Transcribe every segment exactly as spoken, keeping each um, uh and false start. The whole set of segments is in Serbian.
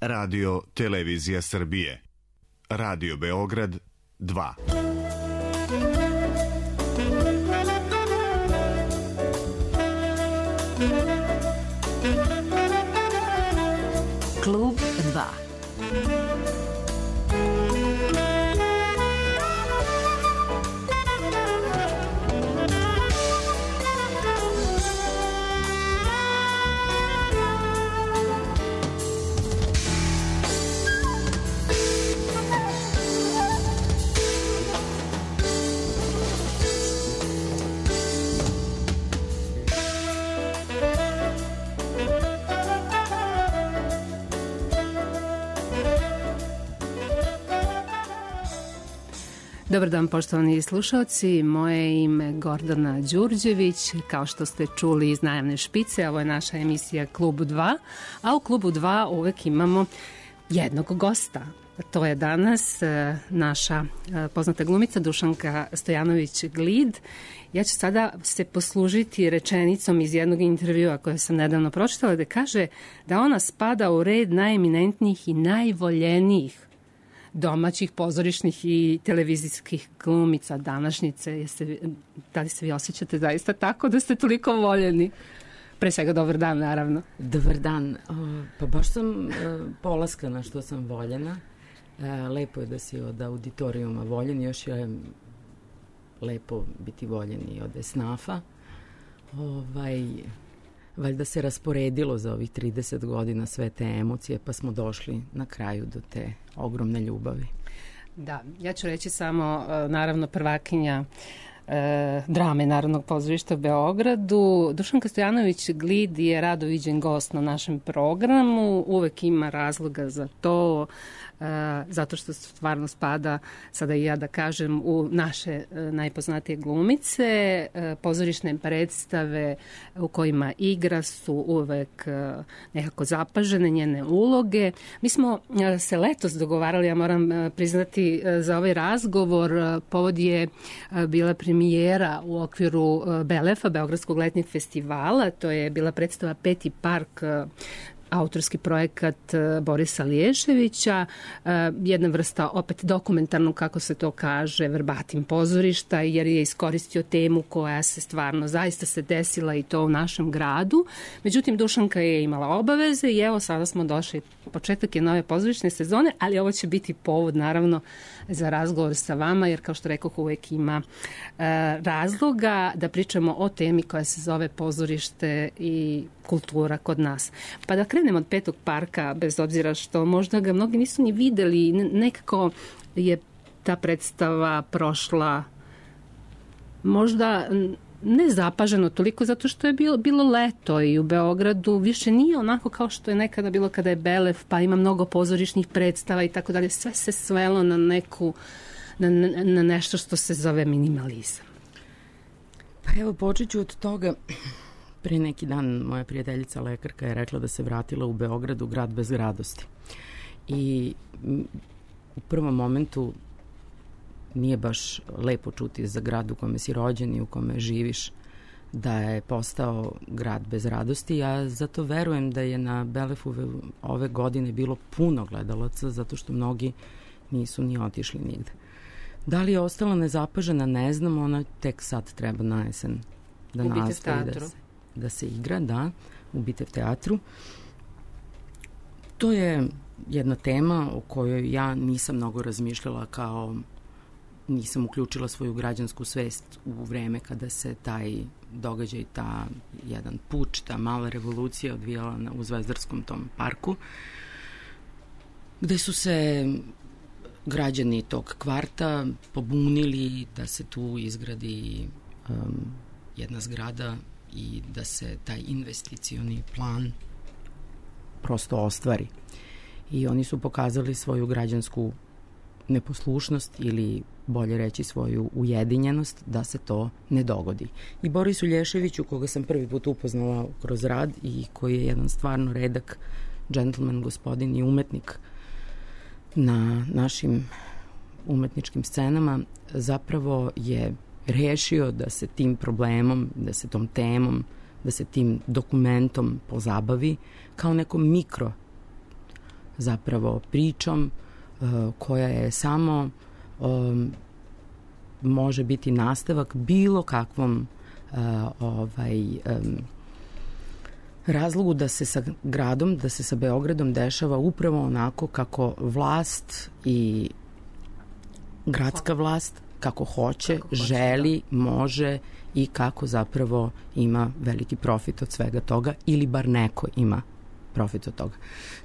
Radio Televizija Srbije. Radio Beograd dva. Klub dva. Dobar dan, poštovani slušalci, moje ime je Gordana Đurđević, kao što ste čuli iz najavne špice, ovo je naša emisija Klub dva, a u Klubu dva uvek imamo jednog gosta. To je danas naša poznata glumica Dušanka Stojanović-Glid. Ja ću sada se poslužiti rečenicom iz jednog intervjua koje sam nedavno pročitala, da kaže da ona spada u red najeminentnijih i najvoljenijih domaćih pozorišnih i televizijskih glumica današnjice. Jeste, da li se vi osjećate zaista tako da ste toliko voljeni? Pre svega dobar dan, naravno. Dobar dan. Pa baš sam polaskana što sam voljena. Lepo je da si od auditorijuma voljen. Još je lepo biti voljen i od esnafa. Ovaj... Valjda se rasporedilo za ovih trideset godina sve te emocije, pa smo došli na kraju do te ogromne ljubavi. Da, ja ću reći samo, naravno, prvakinja e, drame Narodnog pozorišta u Beogradu. Dušanka Stojanović-Glid je rado viđen gost na našem programu, uvek ima razloga za to, e, zato što stvarno spada, sada i ja da kažem, u naše e, najpoznatije glumice. E, pozorišne predstave u kojima igra su uvek e, nekako zapažene njene uloge. Mi smo e, se letos dogovarali, ja moram e, priznati e, za ovaj razgovor, e, povod je e, bila premijera u okviru e, Belefa, Beogradskog letnjeg festivala. To je bila predstava Peti park, e, autorski projekat Borisa Liješevića, jedna vrsta opet dokumentarnog, kako se to kaže, verbatim pozorišta, jer je iskoristio temu koja se stvarno zaista se desila i to u našem gradu. Međutim, Dušanka je imala obaveze i evo sada smo došli, početak je nove pozorišne sezone, ali ovo će biti povod naravno za razgovor sa vama, jer kao što rekoh, uvek ima e, razloga da pričamo o temi koja se zove pozorište i kultura kod nas. Pa da krenemo od Petog parka, bez obzira što možda ga mnogi nisu ni videli, nekako je ta predstava prošla možda ne zapaženo toliko, zato što je bilo, bilo leto i u Beogradu više nije onako kao što je nekada bilo kada je Belef, pa ima mnogo pozorišnih predstava i tako dalje. Sve se svelo na neku, na, na nešto što se zove minimalizam. Pa evo, počet ću od toga. Pre neki dan moja prijateljica lekarka je rekla da se vratila u Beogradu, grad bez radosti. I u prvom momentu nije baš lepo čuti za grad u kome si rođen i u kome živiš da je postao grad bez radosti. Ja zato verujem da je na Belefu ove godine bilo puno gledalaca, zato što mnogi nisu ni otišli nigde. Da li je ostala nezapažena, ne znam, ona tek sad treba na jesen da nastavi da se, da se igra, da, u Bitev teatru. To je jedna tema o kojoj ja nisam mnogo razmišljala, kao nisam uključila svoju građansku svest u vreme kada se taj događaj, ta jedan puč, ta mala revolucija odvijala na, u Zvezdarskom tom parku, gde su se građani tog kvarta pobunili da se tu izgradi um, jedna zgrada i da se taj investicioni plan prosto ostvari. I oni su pokazali svoju građansku neposlušnost ili bolje reći svoju ujedinjenost da se to ne dogodi. I Borisu Lješeviću, koga sam prvi put upoznala kroz rad i koji je jedan stvarno redak džentlmen, gospodin i umetnik na našim umetničkim scenama, zapravo je rešio da se tim problemom, da se tom temom, da se tim dokumentom pozabavi kao nekom mikro zapravo pričom koja je samo um, može biti nastavak bilo kakvom uh, ovaj, um, razlogu da se sa gradom, da se sa Beogradom dešava upravo onako kako vlast i gradska vlast kako hoće, kako hoće želi, da. Može i kako zapravo ima veliki profit od svega toga ili bar neko ima profit od toga.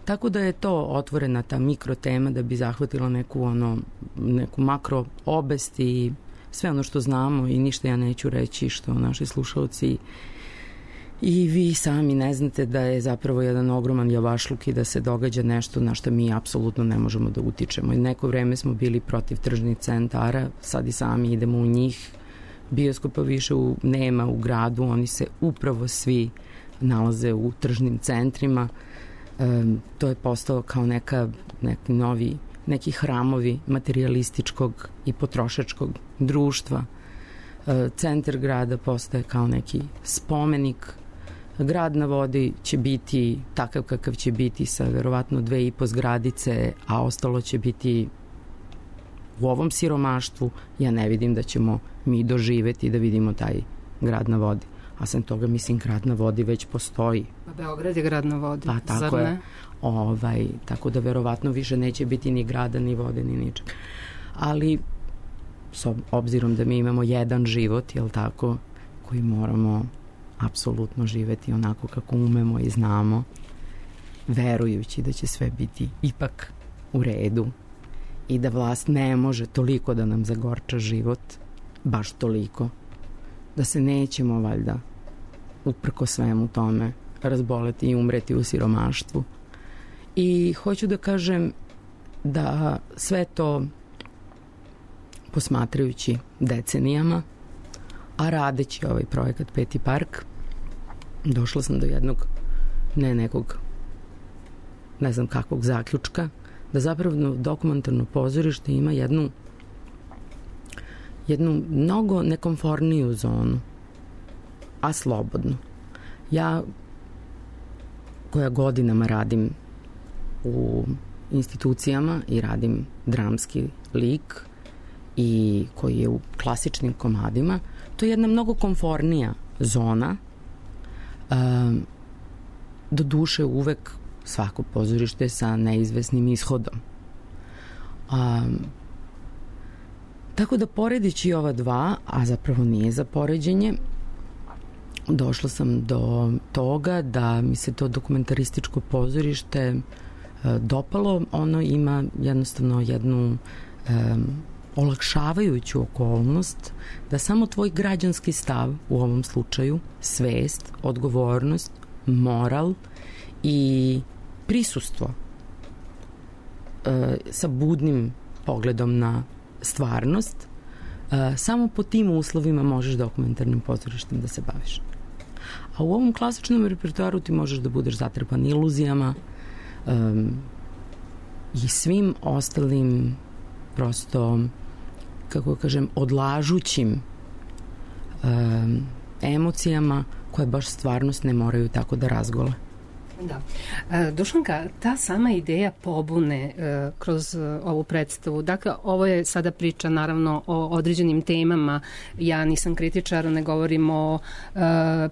Tako da je to otvorena ta mikro tema da bi zahvatila neku, ono, neku makro obest i sve ono što znamo i ništa ja neću reći što naši slušalci i vi sami ne znate da je zapravo jedan ogroman javašluk i da se događa nešto na što mi apsolutno ne možemo da utičemo. I neko vreme smo bili protiv tržnih centara, sad i sami idemo u njih. Bioskopa više u, nema u gradu, oni se upravo svi nalaze u tržnim centrima. E, to je postao kao neka, neki novi, neki hramovi materijalističkog i potrošačkog društva. E, centar grada postaje kao neki spomenik. Grad na vodi će biti takav kakav će biti sa verovatno dve i po zgradice, a ostalo će biti u ovom siromaštvu. Ja ne vidim da ćemo mi doživeti da vidimo taj grad na vodi. A sam toga, mislim, grad na vodi već postoji. Pa Beograd je grad na vodi, pa, tako zar ne? Je. Ovaj, tako da verovatno više neće biti ni grada, ni vode, ni ničeg. Ali, s obzirom da mi imamo jedan život, jel tako, koji moramo apsolutno živeti onako kako umemo i znamo, verujući da će sve biti ipak u redu i da vlast ne može toliko da nam zagorča život, baš toliko, da se nećemo valjda uprko svemu tome razboleti i umreti u siromaštvu. I hoću da kažem da sve to posmatrajući decenijama, a radeći ovaj projekat Peti park, došla sam do jednog, ne nekog, ne znam kakvog zaključka, da zapravo dokumentarno pozorište ima jednu jednu mnogo nekomforniju zonu, a slobodnu. Ja, koja godinama radim u institucijama i radim dramski lik i koji je u klasičnim komadima, to je jedna mnogo komfornija zona. Um, do duše uvek svako pozorište sa neizvesnim ishodom. Um, tako da poredići ova dva, a zapravo nije za poređenje, došla sam do toga da mi se to dokumentarističko pozorište uh, dopalo. Ono ima jednostavno jednu um, olakšavajuću okolnost da samo tvoj građanski stav, u ovom slučaju svest, odgovornost, moral i prisustvo e, sa budnim pogledom na stvarnost, e, samo po tim uslovima možeš dokumentarnim pozorištem da se baviš. A u ovom klasičnom repertoaru ti možeš da budeš zatrpan iluzijama e, i svim ostalim prosto, kako kažem, odlažućim um, emocijama koje baš stvarnost ne moraju tako da razgole. Da. E, Dušanka, ta sama ideja pobune e, kroz e, ovu predstavu, dakle, ovo je sada priča naravno o određenim temama, ja nisam kritičar, ne govorim o e,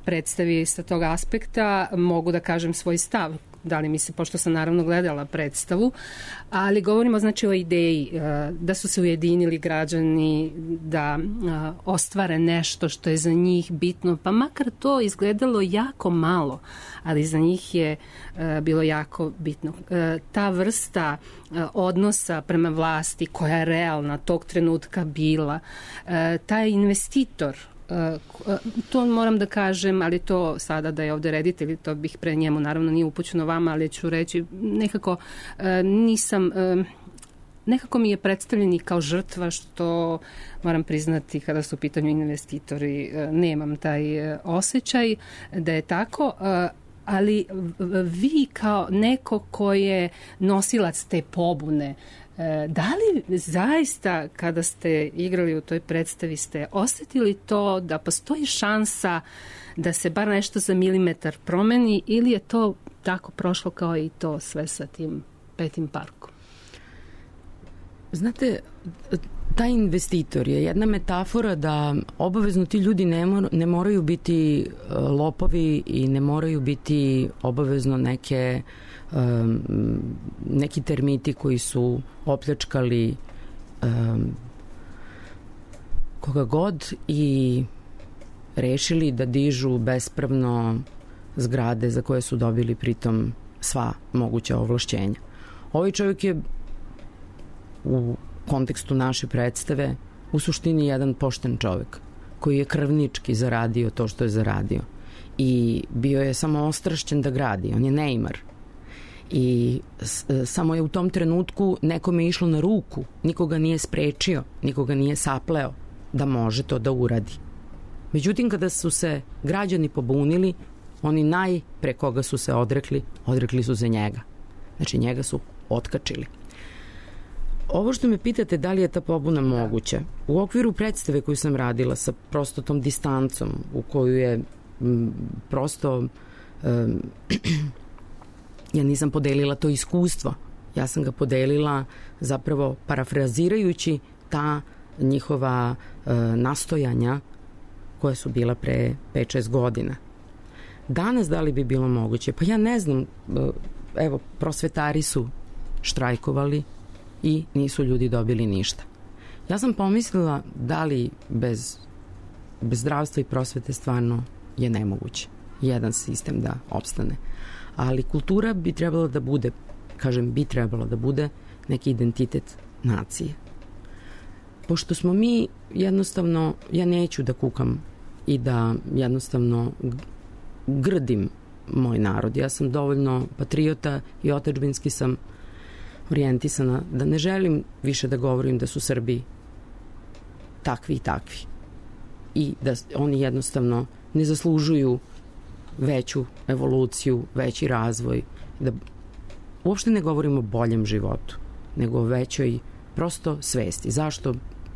predstavi sa tog aspekta, mogu da kažem svoj stav, da li mi se, pošto sam naravno gledala predstavu, ali govorimo znači o ideji da su se ujedinili građani da ostvare nešto što je za njih bitno, pa makar to izgledalo jako malo, ali za njih je bilo jako bitno. Ta vrsta odnosa prema vlasti koja je realna tog trenutka bila, taj investitor, to moram da kažem, ali to sada da je ovde reditelj, to bih pre njemu, naravno nije upućeno vama, ali ću reći, nekako nisam, nekako mi je predstavljen i kao žrtva, što moram priznati kada su u pitanju investitori, nemam taj osjećaj da je tako, ali vi kao neko ko je nosilac te pobune, da li zaista kada ste igrali u toj predstavi ste osetili to da postoji šansa da se bar nešto za milimetar promeni ili je to tako prošlo kao i to sve sa tim Petim parkom? Znate, taj investitor je jedna metafora da obavezno ti ljudi ne, mor, ne moraju biti lopovi i ne moraju biti obavezno neke um, neki termiti koji su opljačkali um, koga god i rešili da dižu bespravno zgrade za koje su dobili pritom sva moguća ovlašćenja. Ovaj čovjek je u kontekstu naše predstave u suštini jedan pošten čovjek koji je krvnički zaradio to što je zaradio i bio je samo ostrašćen da gradi, on je neimar i s, samo je u tom trenutku nekome je išlo na ruku, nikoga nije sprečio, nikoga nije sapleo da može to da uradi. Međutim, kada su se građani pobunili, oni naj pre koga su se odrekli, odrekli su se njega. Znači, njega su otkačili. Ovo što me pitate da li je ta pobuna moguća, u okviru predstave koju sam radila sa prosto tom distancom u koju je m, prosto um, ja nisam podelila to iskustvo, ja sam ga podelila zapravo parafrazirajući ta njihova uh, nastojanja koja su bila pre pet šest godina. Danas da li bi bilo moguće? Pa ja ne znam, evo, prosvetari su štrajkovali i nisu ljudi dobili ništa. Ja sam pomislila da li bez, bez zdravstva i prosvete stvarno je nemoguće jedan sistem da opstane. Ali kultura bi trebala da bude, kažem bi trebala da bude neki identitet nacije. Pošto smo mi jednostavno, ja neću da kukam i da jednostavno grdim moj narod. Ja sam dovoljno patriota i otadžbinski sam orijentisana da ne želim više da govorim da su Srbi takvi i takvi i da oni jednostavno ne zaslužuju veću evoluciju, veći razvoj, da uopšte ne govorimo o boljem životu, nego o većoj prosto svesti. Zašto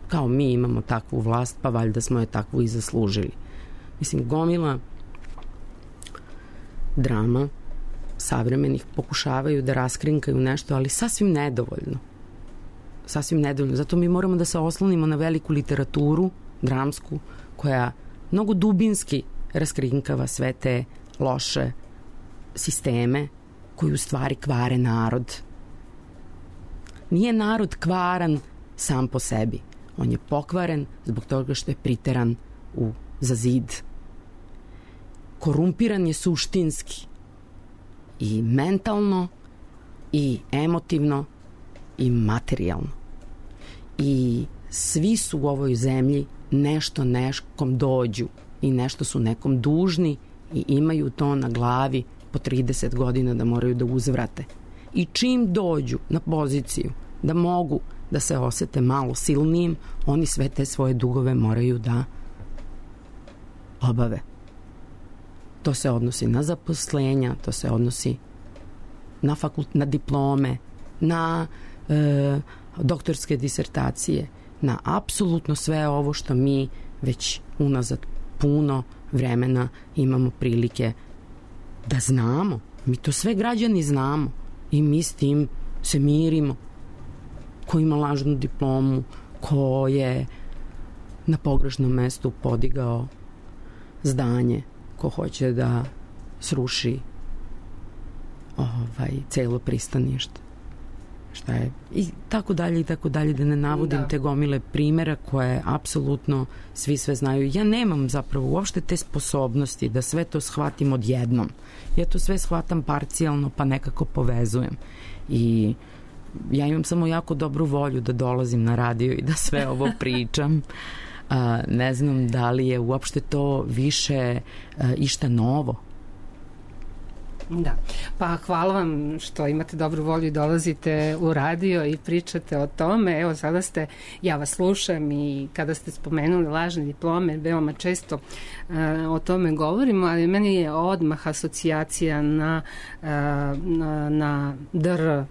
kao mi imamo takvu vlast, pa valjda smo je takvu i zaslužili. Mislim, gomila drama savremenih pokušavaju da raskrinkaju nešto, ali sasvim nedovoljno. Sasvim nedovoljno. Zato mi moramo da se oslonimo na veliku literaturu, dramsku, koja mnogo dubinski raskrinkava sve te loše sisteme koji u stvari kvare narod. Nije narod kvaran sam po sebi. On je pokvaren zbog toga što je priteran u, za zid. Korumpiran je suštinski i mentalno i emotivno i materijalno. I svi su u ovoj zemlji nešto nekom dođu i nešto su nekom dužni i imaju to na glavi po trideset godina da moraju da uzvrate. I čim dođu na poziciju da mogu da se osete malo silnijim, oni sve te svoje dugove moraju da obave. To se odnosi na zaposlenja, to se odnosi na, fakult, na diplome, na e, doktorske disertacije, na apsolutno sve ovo što mi već unazad puno vremena imamo prilike da znamo. Mi to sve građani znamo i mi s tim se mirimo. Ko ima lažnu diplomu, ko je na pogrešnom mestu podigao zdanje, ko hoće da sruši ovaj, celo pristanište. Šta je? I tako dalje i tako dalje, da ne navodim da. te gomile primjera koje apsolutno svi sve znaju. Ja nemam zapravo uopšte te sposobnosti da sve to shvatim odjednom. Ja to sve shvatam parcijalno pa nekako povezujem. I ja imam samo jako dobru volju da dolazim na radio i da sve ovo pričam. A, ne znam da li je uopšte to više a, išta novo. Da, pa hvala vam što imate dobru volju i dolazite u radio i pričate o tome. Evo, sada ste, ja vas slušam i kada ste spomenuli lažne diplome, veoma često uh, o tome govorimo, ali meni je odmah asocijacija na, uh, na, na D R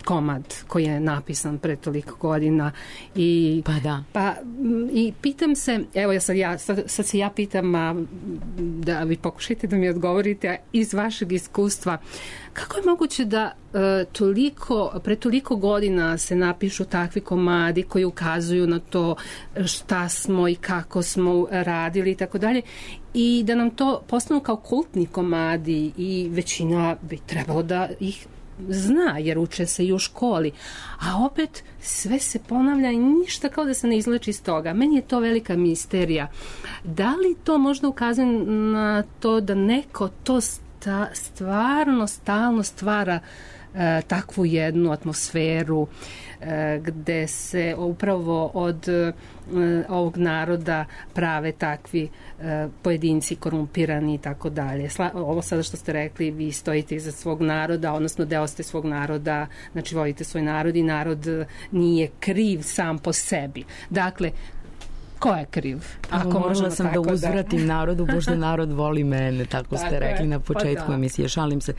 komad koji je napisan pre toliko godina i pa da pa i pitam se, evo ja sad, ja, sad, sad se ja pitam a, da vi pokušajte da mi odgovorite iz vašeg iskustva, kako je moguće da e, toliko, pre toliko godina se napišu takvi komadi koji ukazuju na to šta smo i kako smo radili i tako dalje, i da nam to postanu kao kultni komadi i većina bi trebalo da ih zna, jer uče se i u školi, a opet sve se ponavlja i ništa kao da se ne izleči iz toga. Meni je to velika misterija. Da li to možda ukazuje na to da neko to sta, stvarno stalno stvara e, takvu jednu atmosferu e, gde se upravo od e, ovog naroda prave takvi e, pojedinci korumpirani i tako dalje. Ovo sada što ste rekli, vi stojite iza svog naroda, odnosno deo ste svog naroda, znači volite svoj narod i narod nije kriv sam po sebi. Dakle, ko je kriv? Ako morala sam da uzvratim da... narodu, pošto narod voli mene, tako ste tako rekli je. Na početku pa da. Emisije, šalim se.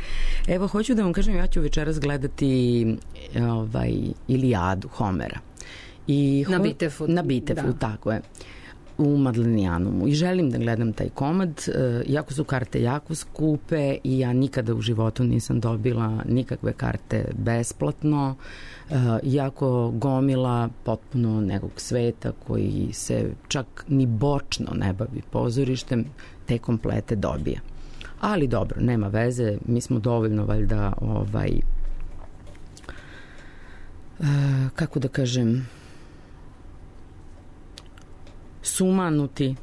Evo, hoću da vam kažem, ja ću večeras gledati ovaj, Ilijadu Homera. I ho... Na Bitefu. Na Bitefu, da. Tako je. U Madlenijanumu. I želim da gledam taj komad, iako su karte jako skupe i ja nikada u životu nisam dobila nikakve karte besplatno, iako gomila potpuno nekog sveta koji se čak ni bočno ne bavi pozorištem, te komplete dobija. Ali dobro, nema veze, mi smo dovoljno valjda ovaj, kako da kažem, sumanuti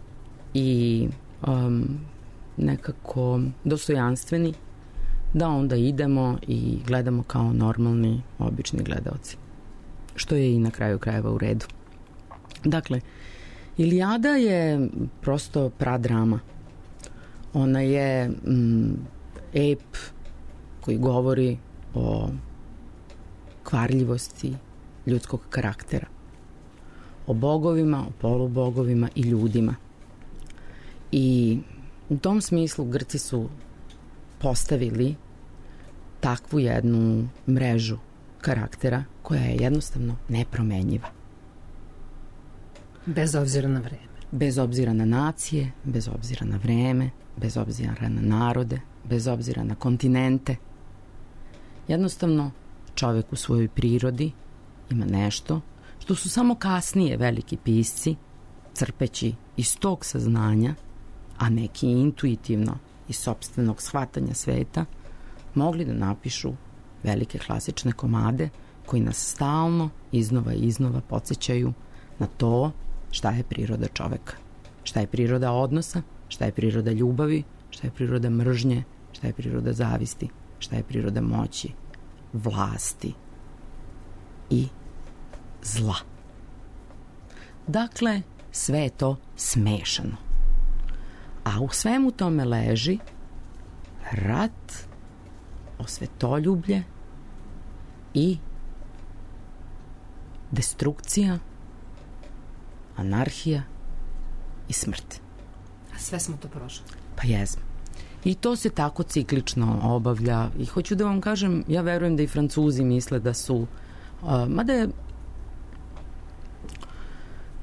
i um, nekako dostojanstveni da onda idemo i gledamo kao normalni, obični gledaoci. Što je i na kraju krajeva u redu. Dakle, Ilijada je prosto pradrama. Ona je mm, ep koji govori o kvarljivosti ljudskog karaktera, o bogovima, o polubogovima i ljudima. I u tom smislu Grci su postavili takvu jednu mrežu karaktera koja je jednostavno nepromenjiva. Bez obzira na vreme. Bez obzira na nacije, bez obzira na vreme, bez obzira na narode, bez obzira na kontinente. Jednostavno, čovek u svojoj prirodi ima nešto što su samo kasnije veliki pisci, crpeći iz tog saznanja, a neki intuitivno iz sopstvenog shvatanja sveta, mogli da napišu velike klasične komade koji nas stalno iznova i iznova podsjećaju na to šta je priroda čoveka, šta je priroda odnosa, šta je priroda ljubavi, šta je priroda mržnje, šta je priroda zavisti, šta je priroda moći, vlasti i zla. Dakle, sve je to smešano. A u svemu tome leži rat, osvetoljublje i destrukcija, anarhija i smrt. A sve smo to prošli. Pa jesmo. I to se tako ciklično obavlja. I hoću da vam kažem, ja verujem da i Francuzi misle da su, uh, mada je,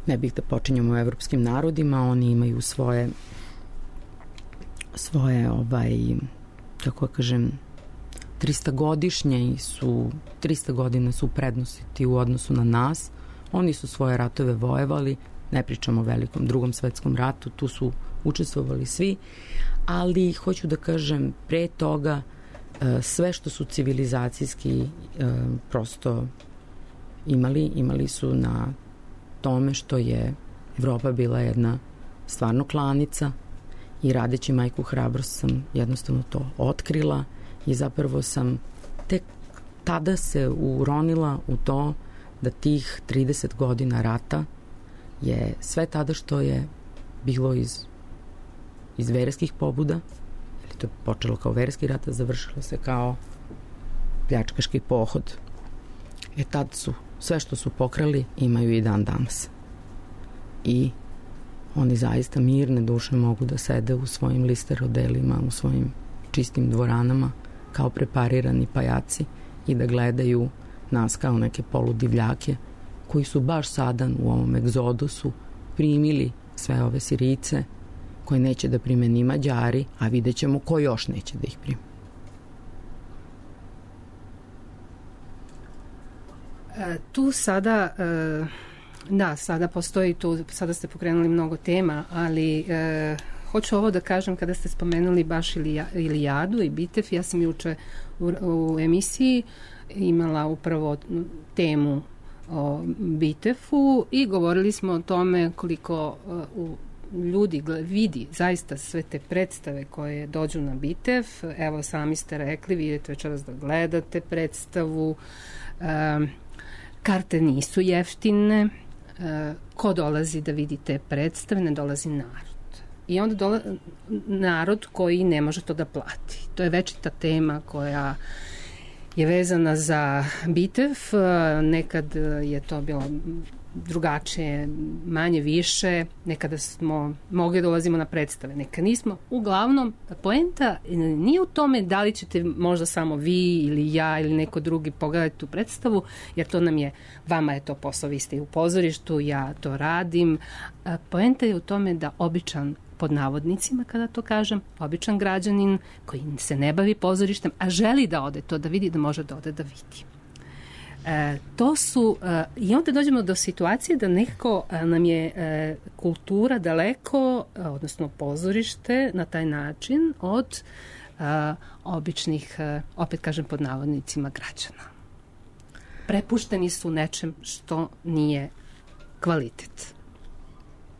ne bih da počinjamo u evropskim narodima, oni imaju svoje svoje ovaj, kako kažem, trista godišnje i su trista godina su prednosti u odnosu na nas. Oni su svoje ratove vojevali, ne pričamo o velikom drugom svetskom ratu, tu su učestvovali svi, ali hoću da kažem, pre toga sve što su civilizacijski prosto imali, imali su na tome što je Evropa bila jedna stvarno klanica i radeći Majku hrabrost sam jednostavno to otkrila i zapravo sam tek tada se uronila u to da tih trideset godina rata je sve tada što je bilo iz, iz verskih pobuda, ili to je počelo kao verski rat, a završilo se kao pljačkaški pohod. E tad su sve što su pokrali imaju i dan danas. I oni zaista mirne duše mogu da sede u svojim listerodelima, u svojim čistim dvoranama kao preparirani pajaci i da gledaju nas kao neke poludivljake koji su baš sada u ovom egzodusu primili sve ove Sirijce koje neće da prime ni Mađari, a vidjet ćemo ko još neće da ih prime. E, tu sada, e, da, sada postoji tu, sada ste pokrenuli mnogo tema, ali e, hoću ovo da kažem kada ste spomenuli baš Ilijadu i Bitev. Ja sam juče u, u emisiji imala upravo temu o Bitefu i govorili smo o tome koliko uh, ljudi gled, vidi zaista sve te predstave koje dođu na Bitev. Evo, sami ste rekli, vidite večeras da gledate predstavu. Uh, karte nisu jeftine. Uh, ko dolazi da vidi te predstave? Ne dolazi narod. I onda dola, narod koji ne može to da plati. To je večita tema koja je vezana za Bitev. Nekad je to bilo drugačije, manje više, nekada smo mogli da dolazimo na predstave, nekad nismo. Uglavnom, poenta nije u tome da li ćete možda samo vi ili ja ili neko drugi pogledati tu predstavu, jer to nam je, vama je to posao, vi ste u pozorištu, ja to radim. Poenta je u tome da običan, pod navodnicima kada to kažem, običan građanin koji se ne bavi pozorištem, a želi da ode to da vidi, da može da ode da vidi. E, to su, e, i onda dođemo do situacije da nekako e, nam je e, kultura daleko, e, odnosno pozorište na taj način od e, običnih, e, opet kažem pod navodnicima, građana. Prepušteni su nečem što nije kvalitet.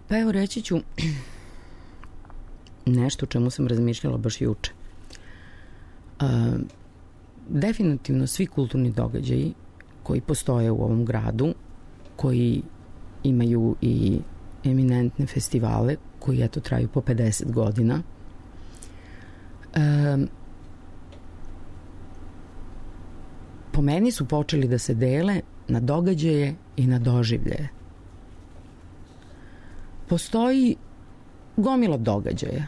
Pa evo reći ću nešto o čemu sam razmišljala baš juče. Uh, definitivno svi kulturni događaji koji postoje u ovom gradu, koji imaju i eminentne festivale, koji eto traju po pedeset godina, um, po meni su počeli da se dele na događaje i na doživljaje. Postoji gomila događaja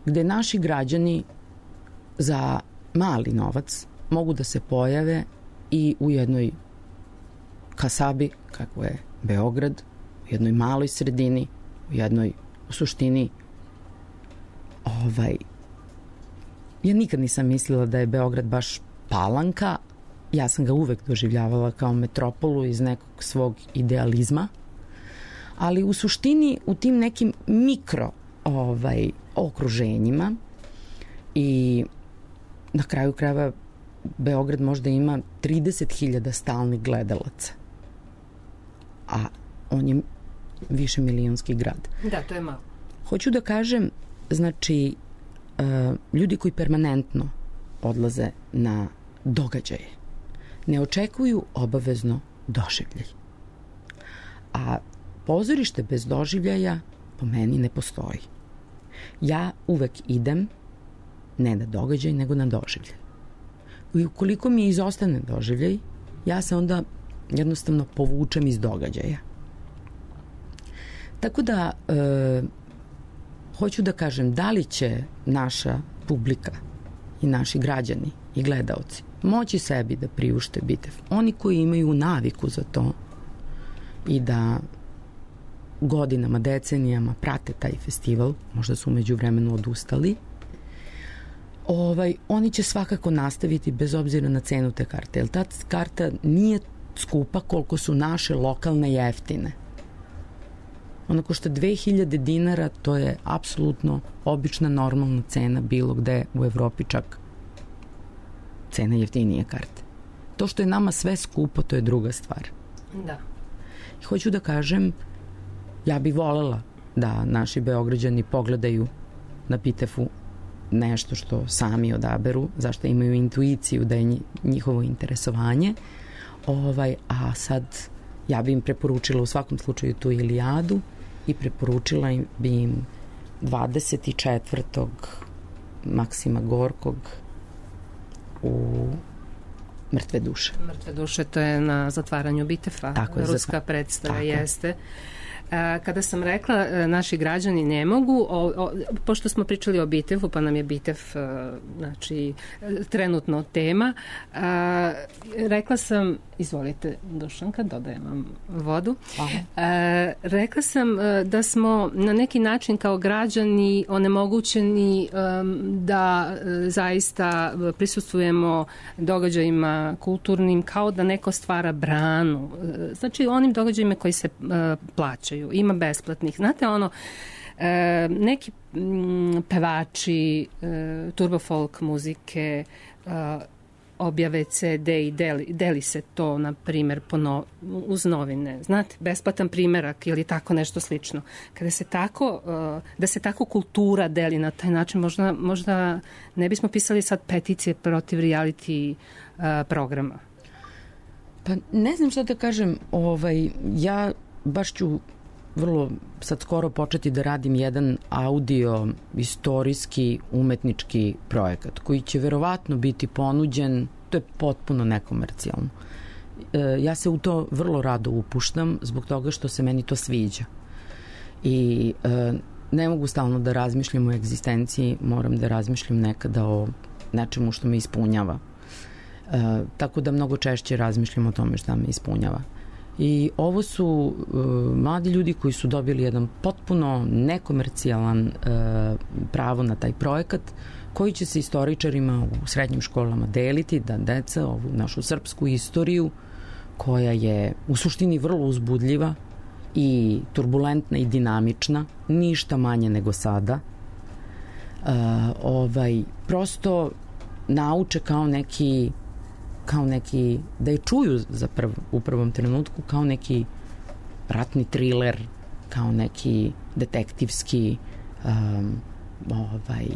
gde naši građani za mali novac mogu da se pojave i u jednoj kasabi, kako je Beograd, u jednoj maloj sredini, u jednoj u suštini ovaj ja nikad nisam mislila da je Beograd baš Palanka, ja sam ga uvek doživljavala kao metropolu iz nekog svog idealizma, ali u suštini u tim nekim mikro ovaj, okruženjima i na kraju krajeva Beograd možda ima trideset hiljada stalnih gledalaca, a on je više milionski grad. Da, to je malo. Hoću da kažem, znači, uh, ljudi koji permanentno odlaze na događaje ne očekuju obavezno doživljaj. A pozorište bez doživljaja po meni ne postoji. Ja uvek idem ne na događaj, nego na doživljaj. I ukoliko mi izostane doživljaj, ja se onda jednostavno povučem iz događaja. Tako da, e, hoću da kažem, da li će naša publika i naši građani i gledaoci moći sebi da priušte Bitev? Oni koji imaju naviku za to i da godinama, decenijama prate taj festival, možda su umeđu vremenu odustali, ovaj, oni će svakako nastaviti bez obzira na cenu te karte. Jer ta karta nije skupa koliko su naše lokalne jeftine. Ona košta dve hiljade dinara, to je apsolutno obična normalna cena bilo gde u Evropi, čak cena jeftinije karte. To što je nama sve skupo, to je druga stvar. Da. I hoću da kažem, ja bih volela da naši Beograđani pogledaju na Bitefu nešto što sami odaberu, zašto imaju intuiciju da je njihovo interesovanje. Ovaj, a sad ja bi im preporučila u svakom slučaju tu Ilijadu i preporučila bi im dvadeset četvrtog Maksima Gorkog u Mrtve duše. Mrtve duše, to je na zatvaranju Bitefa. Tako je, ruska zatvar... predstava Tako. jeste. Kada sam rekla naši građani ne mogu, o, o, pošto smo pričali o Bitefu, pa nam je Bitev znači, trenutno tema, a, rekla sam, izvolite Dušanka, dodajem vam vodu, a, rekla sam da smo na neki način kao građani onemogućeni da zaista prisustvujemo događajima kulturnim kao da neko stvara branu, znači onim događajima koji se plaćaju. Ima besplatnih. Znate ono, e, neki m, pevači e, turbo folk muzike e, objave ce de i deli, deli se to, na primjer, no, uz novine. Znate, besplatan primjerak ili tako nešto slično. Kada se tako, e, da se tako kultura deli na taj način, možda, možda ne bismo pisali sad peticije protiv reality e, programa. Pa ne znam što da kažem, ovaj, ja baš ću vrlo sad skoro početi da radim jedan audio istorijski umetnički projekat koji će verovatno biti ponuđen, to je potpuno nekomercijalno. E, ja se u to vrlo rado upuštam zbog toga što se meni to sviđa. I e, ne mogu stalno da razmišljam o egzistenciji, moram da razmišljam nekada o nečemu što me ispunjava. E, tako da mnogo češće razmišljam o tome šta me ispunjava. I ovo su uh, mladi ljudi koji su dobili jedan potpuno nekomercijalan uh, pravo na taj projekat koji će se istoričarima u srednjim školama deliti, da deca ovu našu srpsku istoriju koja je u suštini vrlo uzbudljiva i turbulentna i dinamična, ništa manje nego sada, uh, ovaj, prosto nauče kao neki kao neki, da je čuju za prv, u prvom trenutku kao neki ratni triler, kao neki detektivski um, ovaj,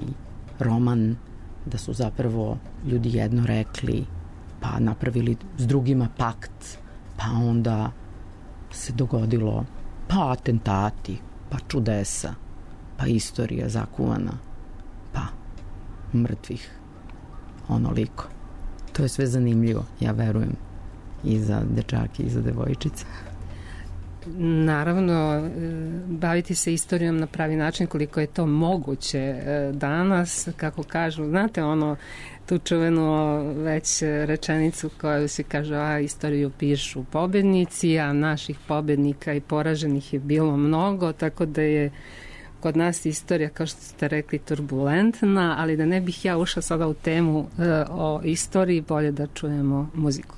roman, da su zapravo ljudi jedno rekli, pa napravili s drugima pakt, pa onda se dogodilo pa atentati, pa čudesa, pa istorija zakuvana, pa mrtvih onoliko. To je sve zanimljivo, ja verujem, i za dečake i za devojčice. Naravno, baviti se istorijom na pravi način koliko je to moguće danas, kako kažu, znate ono, tu čuvenu već rečenicu koju se kaže, a istoriju pišu pobednici, a naših pobednika i poraženih je bilo mnogo, tako da je kod nas istorija, kao što ste rekli, turbulentna, ali da ne bih ja ušla sada u temu e, o istoriji, bolje da čujemo muziku.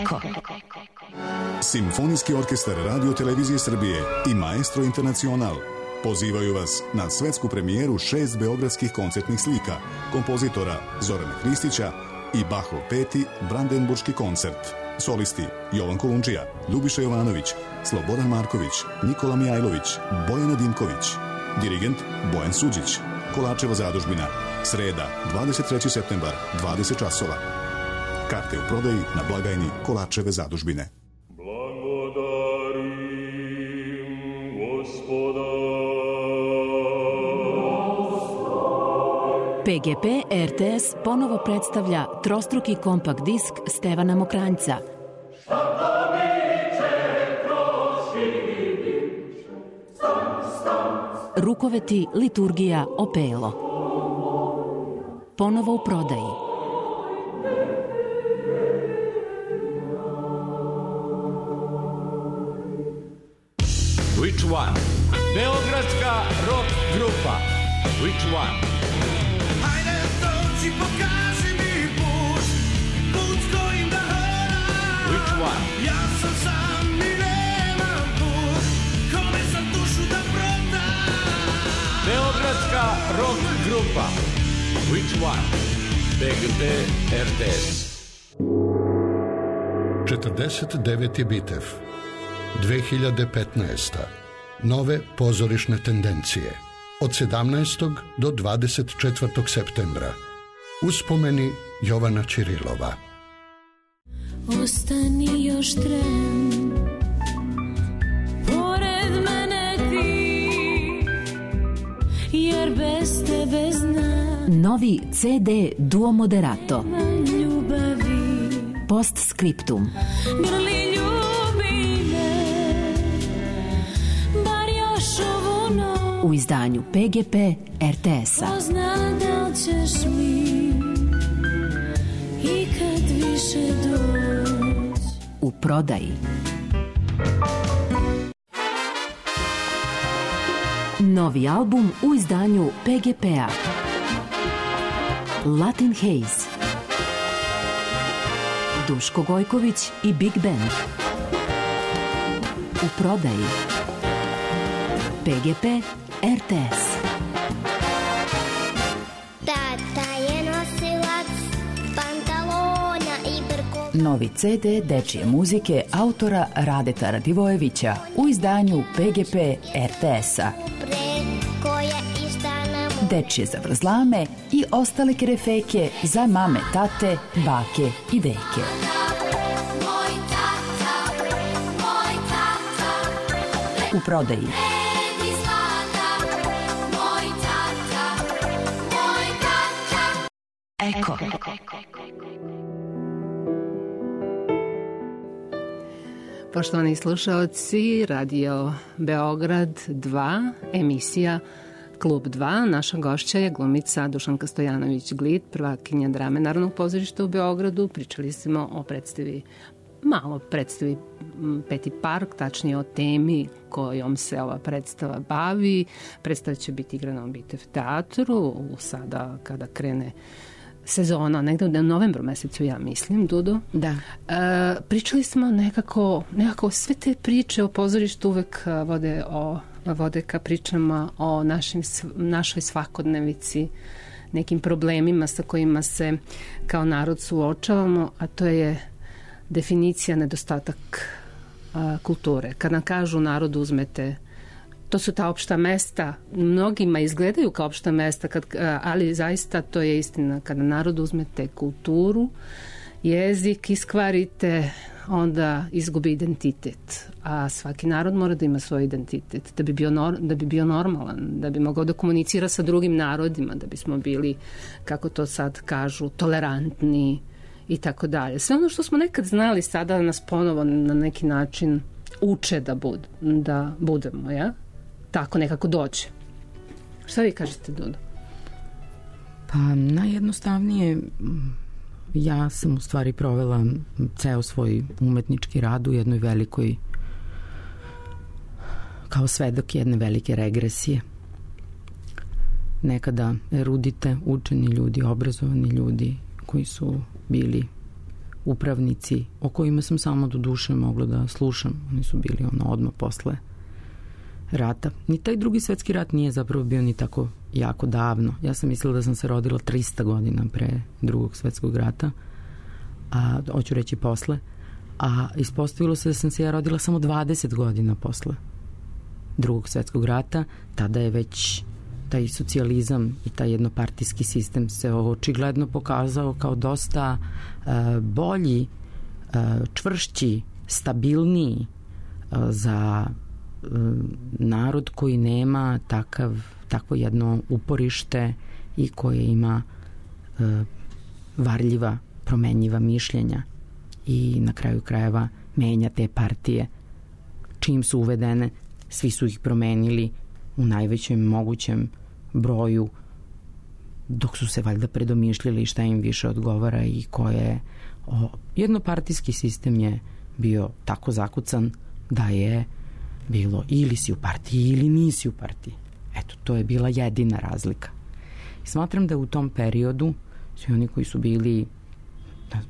Eko. Simfonijski orkestar Radio Televizije Srbije i Maestro Internacional pozivaju vas na svetsku premijeru šest beogradskih koncertnih slika kompozitora Zorana Hristića i Bachov peti Brandenburški koncert. Solisti Jovan Kolundžija, Ljubiša Jovanović, Slobodan Marković, Nikola Mijajlović, Bojana Dimković. Dirigent Bojan Suđić. Kolačeva zadužbina. Sreda, dvadeset treći septembar, dvadeset časova. Karte u prodaji na blagajni Kolačeve zadužbine. Blagodarim Gospoda. P G P R T S ponovo predstavlja trostruki kompakt disk Stevana Mokranjca. Rukoveti, liturgija, opelo. Ponovo u prodaji. Which one? Beogradska rock grupa. Which one? Hajde dođi, pokaži mi put, put kojim da hodam. Which one? Ja sam sam i nemam put, kome sam dušu da prodam. Beogradska rock grupa. Which one? P G P R T S. četrdeset deveti Bitev. dve hiljade petnaesta. Nove pozorišne tendencije. Od sedamnaestog do dvadeset četvrtog septembra. Uspomeni Jovana Ćirilova. Ostani još tren, pored mene ti, jer bez tebe znam. Novi C D Duo Moderato. Ljubavi. Postscriptum. Grli ljubi me, bar još ovu noć. U izdanju P G P R T S-a. Ko zna da li ćeš mi i kad više doć. U prodaji. Novi album u izdanju P G P-a. Latin Haze. Duško Gojković i Big Band. U prodaji. P G P R T S. Tata je nosilac pantalona i brkova. Novi C D dečije muzike autora Radeta Radivojevića u izdanju P G P R T S-a. Dečije zavrzlame i ostale kerefeke za mame, tate, bake i deke. U prodaji. Eko. Poštovani slušaoci, Radio Beograd dva, emisija Klub dva. Naša gošća je glumica Dušanka Stojanović-Glid, prvakinja drame Narodnog pozorišta u Beogradu. Pričali smo o predstavi, malo predstavi Peti park, tačnije o temi kojom se ova predstava bavi. Predstava će biti igrana u Bitev teatru, sada kada krene sezona, negde u novembru mesecu, ja mislim, Dudo. Da. E, pričali smo nekako, nekako sve te priče o pozorištu uvek vode, o, vode ka pričama o našim, našoj svakodnevici, nekim problemima sa kojima se kao narod suočavamo, a to je definicija nedostatak a, kulture. Kad nam kažu narodu uzmete, to su ta opšta mesta, mnogima izgledaju kao opšta mesta, kad, ali zaista to je istina. Kada narodu uzmete kulturu, jezik, iskvarite, onda izgubi identitet. A svaki narod mora da ima svoj identitet, da bi bio, nor, da bi bio normalan, da bi mogao da komunicira sa drugim narodima, da bismo bili, kako to sad kažu, tolerantni i tako dalje. Sve ono što smo nekad znali sada nas ponovo na neki način uče da, bud, da budemo, ja? Tako nekako dođe. Šta vi kažete, Dudo? Pa najjednostavnije, ja sam u stvari provela ceo svoj umetnički rad u jednoj velikoj, kao svedok jedne velike regresije. Nekada erudite, učeni ljudi, obrazovani ljudi koji su bili upravnici, o kojima sam samo do duše mogla da slušam. Oni su bili ono odmah posle rata. Ni taj drugi svetski rat nije zapravo bio ni tako jako davno. Ja sam mislila da sam se rodila trista godina pre drugog svetskog rata, a hoću reći posle, a ispostavilo se da sam se ja rodila samo dvadeset godina posle drugog svetskog rata. Tada je već taj socijalizam i taj jednopartijski sistem se očigledno pokazao kao dosta uh, bolji, uh, čvršći, stabilniji uh, za uh, narod koji nema takav, takvo jedno uporište i koje ima uh, varljiva, promenjiva mišljenja i na kraju krajeva menja te partije. Čim su uvedene, svi su ih promenili u najvećem mogućem broju, dok su se valjda predomišljali šta im više odgovara i koje o, jednopartijski sistem je bio tako zakucan da je bilo ili si u partiji ili nisi u partiji. Eto, to je bila jedina razlika. I smatram da u tom periodu svi oni koji su bili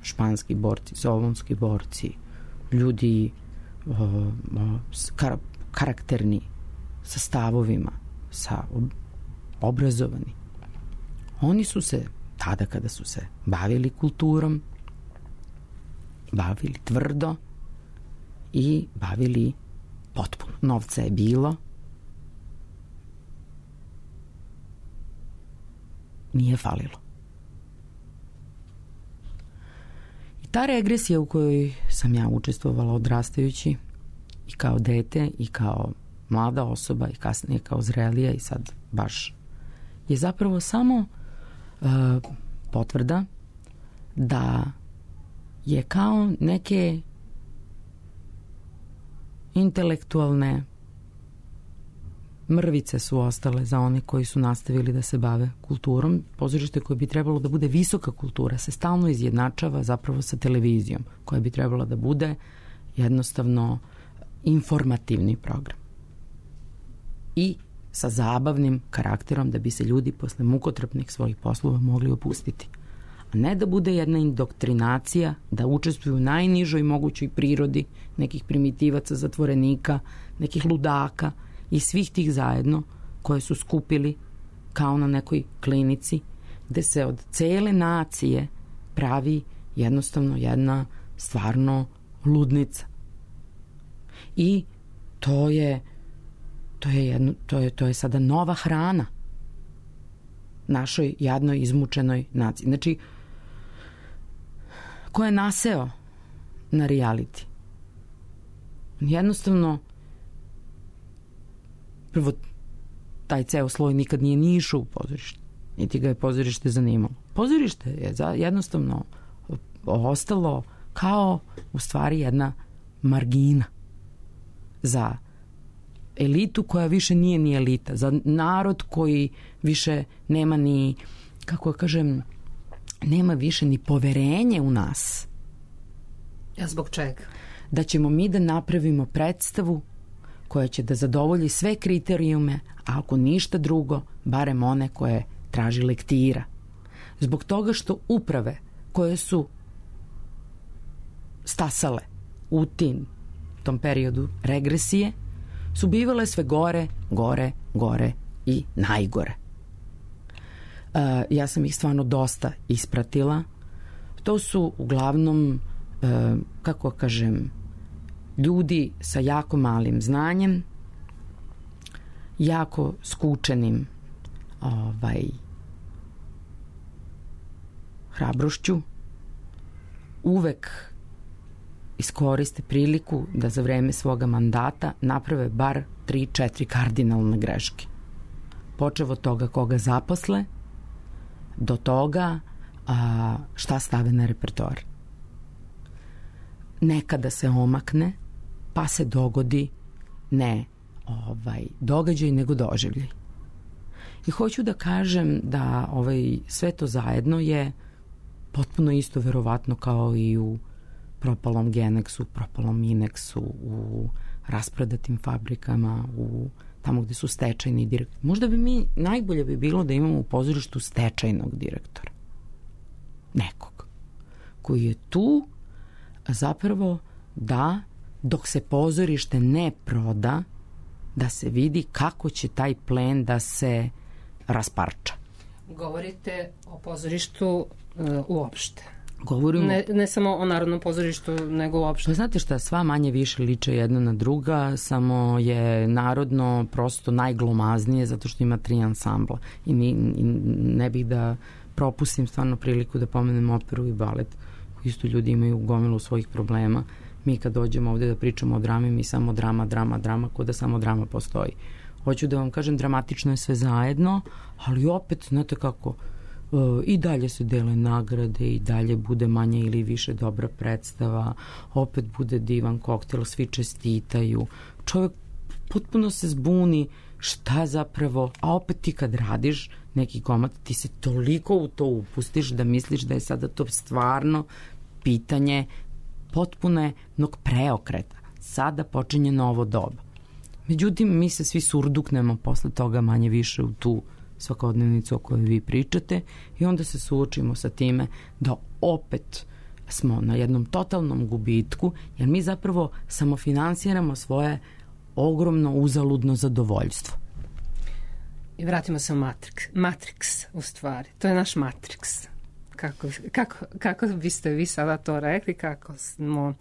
španski borci, solunski borci, ljudi o, o, kar, karakterni, sa stavovima, sa obrazovani. Oni su se, tada kada su se bavili kulturom, bavili tvrdo i bavili potpuno. Novca je bilo. Nije falilo. I ta regresija u kojoj sam ja učestvovala odrastajući i kao dete i kao mlada osoba i kasnije kao zrelija i sad baš je zapravo samo uh, potvrda da je kao neke intelektualne mrvice su ostale za one koji su nastavili da se bave kulturom. Pozorište koje bi trebalo da bude visoka kultura se stalno izjednačava zapravo sa televizijom, koja bi trebala da bude jednostavno informativni program i sa zabavnim karakterom da bi se ljudi posle mukotrpnih svojih poslova mogli opustiti. A ne da bude jedna indoktrinacija, da učestvuju u najnižoj mogućoj prirodi nekih primitivaca, zatvorenika, nekih ludaka i svih tih zajedno koje su skupili kao na nekoj klinici gde se od cele nacije pravi jednostavno jedna stvarno ludnica. I to je to je jedno, to je to je sada nova hrana našoj jadnoj izmučenoj naciji. Znači, ko je naseo na reality? Jednostavno, prvo, taj ceo sloj nikad nije ni išao u pozorište, niti ga je pozorište zanimalo. Pozorište je za, jednostavno ostalo kao u stvari jedna margina za elitu koja više nije ni elita, za narod koji više nema ni, kako kažem, nema više ni poverenje u nas. Ja zbog čega? Da ćemo mi da napravimo predstavu koja će da zadovolji sve kriterijume, a ako ništa drugo, barem one koje traži lektira. Zbog toga što uprave koje su stasale u tim, tom periodu regresije, su bivale sve gore, gore, gore i najgore. Uh, ja sam ih stvarno dosta ispratila. To su uglavnom, uh, kako kažem, ljudi sa jako malim znanjem, jako skučenim ovaj, hrabrošću, uvek iskoriste priliku da za vreme svoga mandata naprave bar tri, četiri kardinalne greške. Počev od toga koga zaposle, do toga a, šta stave na repertoar. Nekada se omakne, pa se dogodi ne ovaj, događaj, nego doživljaj. I hoću da kažem da ovaj, sve to zajedno je potpuno isto verovatno kao i u propalom Genexu, propalom Minexu, u rasprodatim fabrikama, u tamo gde su stečajni direktori. Možda bi mi, najbolje bi bilo da imamo u pozorištu stečajnog direktora. Nekog. Koji je tu zapravo da dok se pozorište ne proda, da se vidi kako će taj plen da se rasparča. Govorite o pozorištu uh, uopšte. Govorimo... Ne, ne samo o Narodnom pozorištu, nego uopšte. Pa znate šta, sva manje više liče jedna na druga, samo je Narodno prosto najglomaznije zato što ima tri ansambla. I, ni, i ne bih da propustim stvarno priliku da pomenem operu i balet. Isto ljudi imaju gomilu svojih problema. Mi kad dođemo ovde da pričamo o drami, mi samo drama, drama, drama, ko da samo drama postoji. Hoću da vam kažem, dramatično je sve zajedno, ali opet, znate kako, i dalje se dele nagrade, i dalje bude manje ili više dobra predstava, opet bude divan koktel, svi čestitaju. Čovjek potpuno se zbuni šta zapravo, a opet ti kad radiš neki komad, ti se toliko u to upustiš da misliš da je sada to stvarno pitanje potpunog preokreta. Sada počinje novo doba. Međutim, mi se svi surduknemo posle toga manje više u tu svakodnevnicu o kojoj vi pričate i onda se suočimo sa time da opet smo na jednom totalnom gubitku, jer mi zapravo samofinansiramo svoje ogromno uzaludno zadovoljstvo. I vratimo se u Matrix. Matrix, u stvari. To je naš Matrix. Kako, kako, kako biste vi sada to rekli, kako smo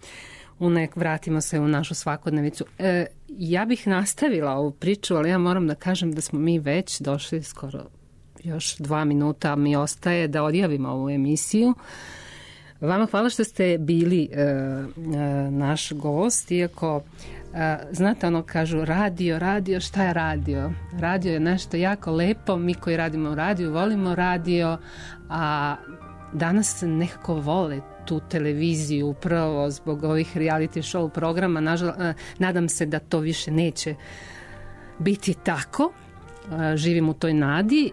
u nek, vratimo se u našu svakodnevicu. E, ja bih nastavila ovu priču, ali ja moram da kažem da smo mi već došli skoro još dva minuta, mi ostaje da odjavimo ovu emisiju. Vama hvala što ste bili e, e, naš gost, iako e, znate ono kažu radio, radio, šta je radio? Radio je nešto jako lepo, mi koji radimo u radiju volimo radio, a danas nekako vole tu televiziju upravo zbog ovih reality show programa. Nažal, nadam se da to više neće biti tako. Živim u toj nadi.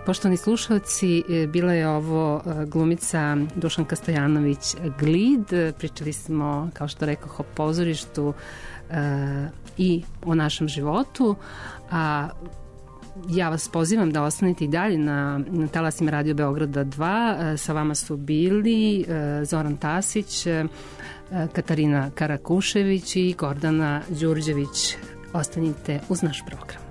Poštovani slušalci, bila je ovo glumica Dušanka Stojanović Glid. Pričali smo, kao što rekoh, o pozorištu i o našem životu. A ja vas pozivam da ostanete i dalje na, na talasima Radio Beograda dva. Sa vama su bili Zoran Tasić, Katarina Karakušević i Gordana Đurđević. Ostanite uz naš program.